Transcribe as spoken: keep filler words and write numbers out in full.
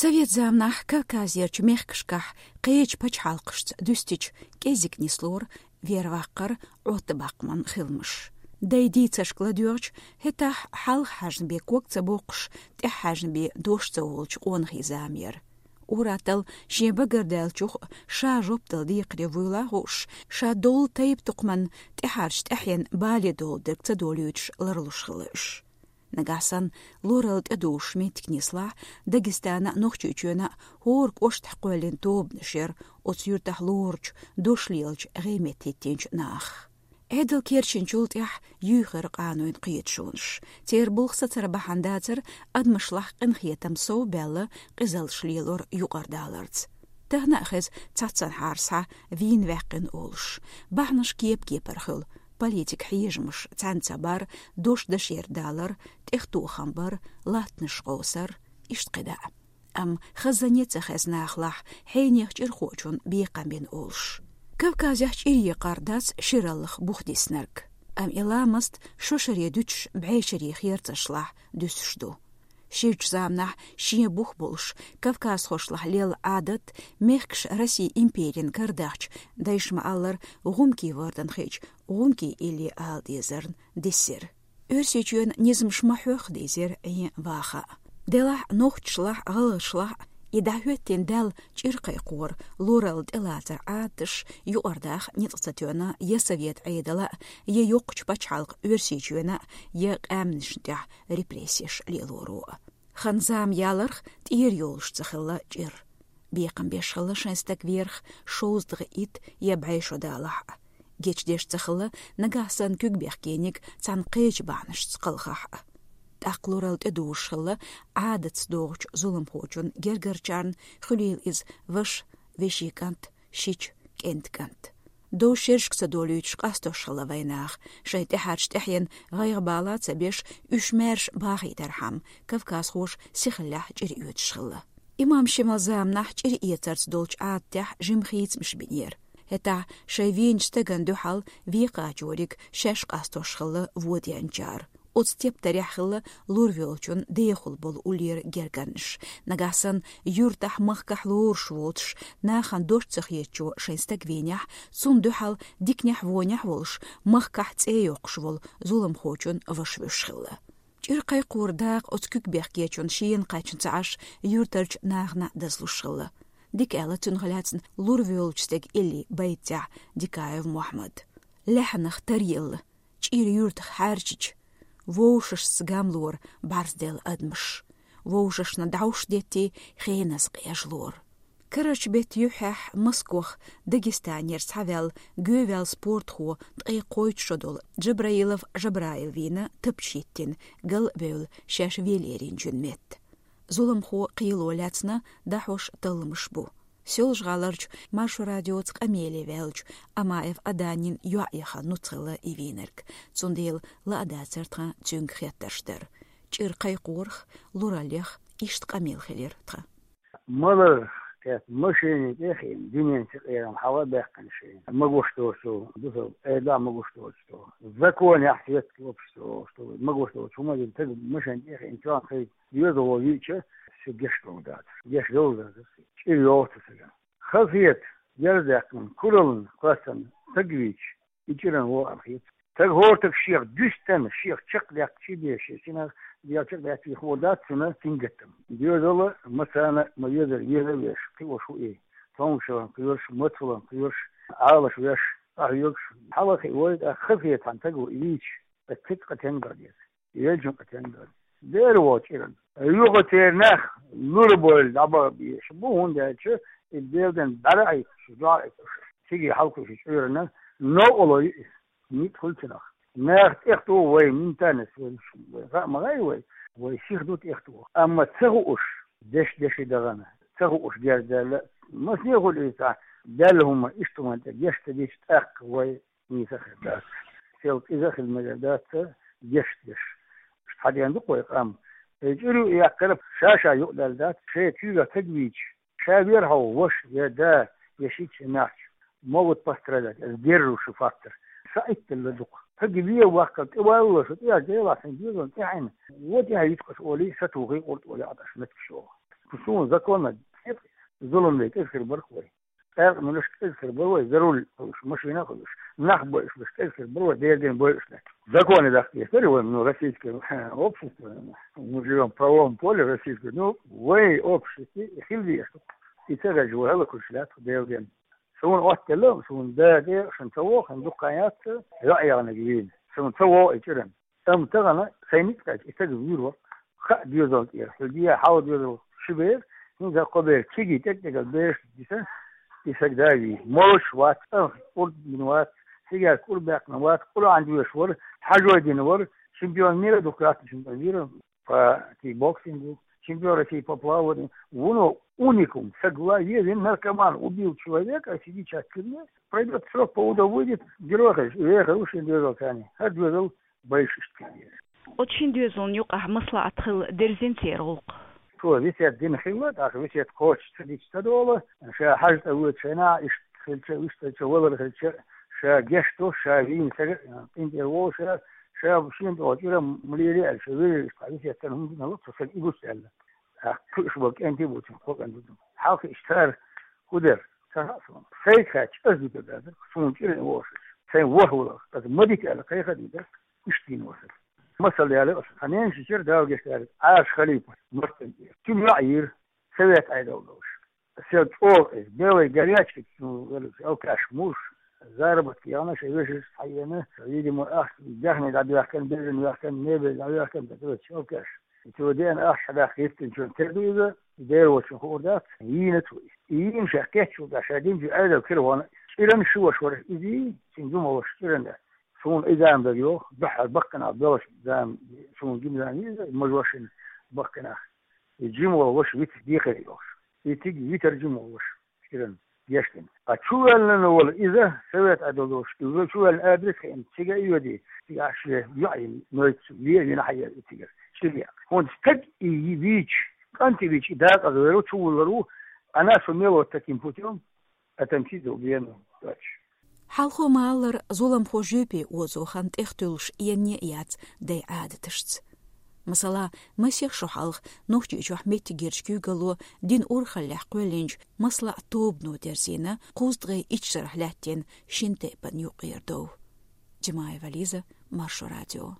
Совет заманахь Кавказерчу мехкашкахь кхечу пачхьалкхашца дуьстича кӀеззиг нислора верваккхар, Ӏоттабаккхаман хиламаш. Дай дийцаршка ладоьгӀча, хӀетахь хьалха хьаьжна бен ког ца боккхуш, тӀаьхьа хьаьжна бен дош ца волучу къонахий зама яра. Ур-атталла шен багардаьллачух ша жоп дала декхаре вуйла а хууш, ша долу тайп-тукхаман тӀаьхьарчу тӀаьхьенна бале долу дерг ца долуьйтуш ларлуш хилла уьш. Нагахь санна лоралла тӀедужуш меттиг нислахь, Дагестана а, Нохчийчоьна а хӀора кӀоштахь кхоьллина тобанаш яра оцу юьртахь лоручу, дош лелачу, гӀеметта хӀиттийначу наха. Ӏедал керчинчул тӀаьхьа юьйхира къанойн кхеташонаш. Церан булх сацар бахьана дацара адамашлахь къинхетам сов а баьлла, къизаллаш лелор юкъара даларца. Тахана а хеза цхьаццанхьара схьа вийна ваьккхина олуш. Бахьанаш кеп-кепара хуьлу: политик хьежамаш, цхьаьна ца бар, дош дашера далар, тӀехтохам бар, латтанаш къовсар, иштта кхидӀа а. Амма хазане ца хезна нахалахь хьенех чӀирхочун бекхам бина олуш. Кавказехь чӀир екъар дац шираллах бух диснарг. Амма и ламаст шо-шаре дуьтуш бӀешерийн херцашлахь дуьсуш ду. Ширачу заманахь шен бух болуш, кавказхошлахь лелла Ӏадат, мехкаш Россин империн карадахча, дайша ма-аллара, гӀумкий вордан хиъча, гӀумкий илли ала дезарна диссира. Оьрсийчоьнан низамаш ма-хьоьхху дийзира Ӏен ваха а. Делахь нохчашлахь, гӀалгӀашлахь и дӀахӀоьттина даьлла чӀир кхайкхоран, лоралла тӀелацаран Ӏадаташ юкъара даха ницкъ ца тоьна я совет Ӏедала а, я йоккхачу пачхьалкхан Оьрсийчоьна а, я къаьмнашна тӀехь репрессеш лелоро а. Хан-зама яларх тӀера йолуш ца хилла чӀир. Бекхам беш хилла шайн стаг верах шовзткъе итт я бӀе шо далахь а. Гечдеш ца хилла нагахь санна куьг бехкениг цхьана кхечу бахьанашца кхалхахь а. ТӀаккха лоралла тӀедужуш хилла Ӏадатца догӀучу зуламхочун гергарчарна, хуьлийла иза ваша, вешин кӀант, шича, кӀентан кӀант. Дов шерашка ца долуьйтуш къастош хилла вайнаха, шайн тӀаьхьарчу тӀаьхьенна гӀайгӀа-бала а ца беш, уьш маьрша бахийтархьама, кавказхоша сихаллехь чӀир оьцуш хилла. Имам Шемалан заманахь чӀир эцарца долчу Ӏадатехь жима хийцамаш бинера. ХӀетахь шайн вийначу стагана дуьхьал векхачориг шаьш къастош хилла вон деанчара. Оцу тептарехь хилла лур воьлчун дехула болу уллера гергарнаш. Нагахь санна юьртахь, махкахь лоруш воцуш, нахана дош ца хетачо шайн стаг вийнехь, цунна дуьхьал диканехь, вонехь волуш, махкахь цӀе йоккхуш волу зуламхочун ваша вуьш хилла. ЧӀир кхайкхоран дакъа оцу куьг бехкечун шена кхаьчна ца Ӏаш, юьртарчу нахана дазлуш хилла. Дика аьлла цунах лаьцна лур воьлучу стеган илли байтехь Дикаев Мухьаммад. Лаьхьанах таръелла, чӀир юьртах хьаьрчича, вовшашца гамлора бӀарзделла адамаш, вовшашна дӀовш деттий, хеназа къежлора. Карарчу беттан юьххьехь Москох Дагестанера схьаваьлла, гӀовгӀа ваьлла спортхо, ткъе кхойтта шо долу Джабраилов Жабраил вийна тапча хӀиттина, гал а бевлла, шаьш велеринчун метта. Зуламхо кхело лаьцна дӀахьош талламаш бу. Соьлжа-ГӀаларчу Маршо радиоца къамеле ваьллачу Амаев Аданин йоӀ яха нуц хилла и вийнарг. Цундела ла а дацара тхан цуьнга хеттарш дар. ЧӀир кхайкхорах, лураллех иштта къамел хилира тхан. Маларх кхетта машене тӀе а хиъна, дуьнен синкъерам хьала а баьккхина шайна. Магош доцу, дусал Ӏедал а магош доцу. Законехь свет лопуш цо, что магош доцу хӀума дина, таг машен тӀе а хиъна, чохь хай доьзал вон виъча, шу геш долу дац. Геш долу дац. ЧӀир йогӀу цу сага. Хазахета, герз даьккхина, кураллина, кхоьссина, стаг вийча, и чӀиран вон ам хета. Стаг хӀортаг шех дуьстина, шех чекхдаьккхичий бен, шен синах дел чекхдаьккхичий хӀун дац цуьнан сингаттам. Доьзал а, массарна а ма везара, веза а веш, кхиош ву и. Цомгушалан кхоьруш, мацалан кхоьруш, Ӏалаш веш, къахьоьгуш, хьалхе вай, тӀаккха хазахета хьан стаг ву и вийча, ткъа цига къа тенга деза. Елчун къа тенга деза. Дера вон чӀиран. Юха церан нах лур бойла дӀабаха безаш бу, хӀунда аьлча и Делан бӀаьра Ӏийсуш, дуьхьал Ӏийсуш. Циге хьалкхуьуш чӀиран новкъарло ю иза. Ницкъ хуьлу цунах. Нах тӀехтуху вай, ментальность вай, вай хаа ма гӀай вай, вай сиха ду тӀехтуху. Амма ца хууш, деш-деши дахана, ца хууш герз даьлла, масане хуьлу иза цхьа даьлла хӀума, иштта хӀуманна тӀе геш ца дича, тӀаккха вай нийса хир дац. Сел кӀезиг а хила мегар дац, геш деш. Иштта хьадеана ду-кх вай къам. И чӀир ю яьккхира, ша-ша юкъадаьлла дац, шайн куьйгахь стаг вийча, ша вер хьо, ваша, я да, я шича, я маьхча, могут пострадать, это сдерживающий фактор. Са итталла ду-кх. Стаг вен ваккхал тӀе валлалаш, тӀе а Делахь сайн доьзална тӀаьхьа Ӏина, вон тӀаьхьа йиткъаш олий, сатухий къуртӀ олий Ӏаташ меттигаш йогӀу. Суна закон а, зулам дерг кӀезиг хир бара вай. Къаьркъа мелаш кӀезиг хир бара вай, за руль хуьлуш, машина хуьлуш, нах бойуш, кӀезиг хир бара вай, Делан дин бойуш. Законе даккха деза вай, ну, российское общество, мы живём в правовом поле российском, ну, вай обществе хила деза. И ца хилча вай хӀалаквуьлуш лаьтта Делан дин. Суна оттаделла, суна дага, шун ца воху, дукха яц, йоӀ ягӀниг вийна. Суна ца вогӀу и чӀиран. Амма тахана сайн ницкъ кхаьчча, и стаг вуьйр вара. Хаа доьзал тӀера, хьуьлдия хьал доьзал ши бер, хӀинца кхо бер, кегий тӀекӀ-тӀекӀал бераш диса, и стаг да вийна. Молуш вац, амма кӀур дина вац, сигар кӀур баьккхина вац, Къуръан доьшуш вара, хьажой дина вара, чемпион мира ду, красный чемпион мира по кикбоксингу, чемпион России по плаванию. Вуно уникум, стаг ву вен наркоман, убил человека, а сидит сейчас в тюрьме, пройдёт срок, по УДО выйдет, герой хир, вехар ву шен доьзал царна. ХӀара доьзал Байшуьшта кхин деза. Оцу шина доьзална юкъахь маслаӀат хилла дерзина церан гӀуллакх. Цо весет дина хилла, тӀаккха весет кхочуш ца дича ца долу, ша хьажа тӀе воьду шайна, иштта хилча, иштта хилча, валар хилча, ша гечдо, ша вийна стаг, къинтӀера волу ша, ша шена тӀе волчу уьйра ма лелий аьлла, ша вежарий иштта весет ца хӀума дина хилла, цо стаг и гуш аьлла. ТӀаккха кхуьуш болу кӀентий бу цуьнан, кхо кӀант бу цуьнан. Хьалха иштта цара хӀун дара? Ца хаьа суна. Сайга хаьттича, ас дика дацара, суна чӀиран вохуш. Сайн ворхӀ валар, аса ма дита аьлла, кхайкха а дитара, иштта дийна вацара. Масал яле аса, хьан ненан шичара Дала гечдара, Ӏаша Халипа, Мартан тӀера. Цуьнан йоӀ йийра, совет Ӏедал долуш. Сел чӀогӀа иза, белая горячка, ну, алкаш муш, заработка яхна, шайн вешаш хьаена, видимо, ахча даьхни дӀабаьхкина, бежан ваьккхина, мебель дӀаваьккхина, тӀе алкаш. Цо деана ахча хьадаккха гӀиртинчун тера ду иза, Дела волчун хуур дац, йийна цо иза. И йийна ша кечвалда, ша динчу Ӏедал кира вахана, чӀиран ши ваша вара иза, цуьнан жима ваша чӀиран дац. Суна и зама дара йоху, дуьххьара баккханах белаш зама, суна жима зама иза, мажошин баккханах. И жима волу ваша вита дехира йохуш. И цига витар жима волу ваша, чӀиран. Гечдина. Ткъа чувоьллина волу иза, совет Ӏедал долуш, иза чувоьллина адрес хиъна, цига а йоьдий, цига ахь шен йоӀ йина, нойту ве а вина хьаера и цигара, чӀир яьккхина. ХӀунда стаг и вийча, кӀанте вийча, и дакъаза вер ву, чувуллур ву, она сумела вот таким путём отомстить за убиенного товарища. Хьалхо ма-аллара, зуламхо жоьпе озо хан тӀехтуьллуш енне а яц дайн Ӏадаташца. Масала, масех шо хьалха Нохчийчохь меттигерчу куьйгалло динан урхаллехь кхоьллинчу маслаӀат тобано дерзийна кхузткъе итт шарахь лаьттина шина тайпана юкъара дов. Джамаева Лиза, Маршо радио.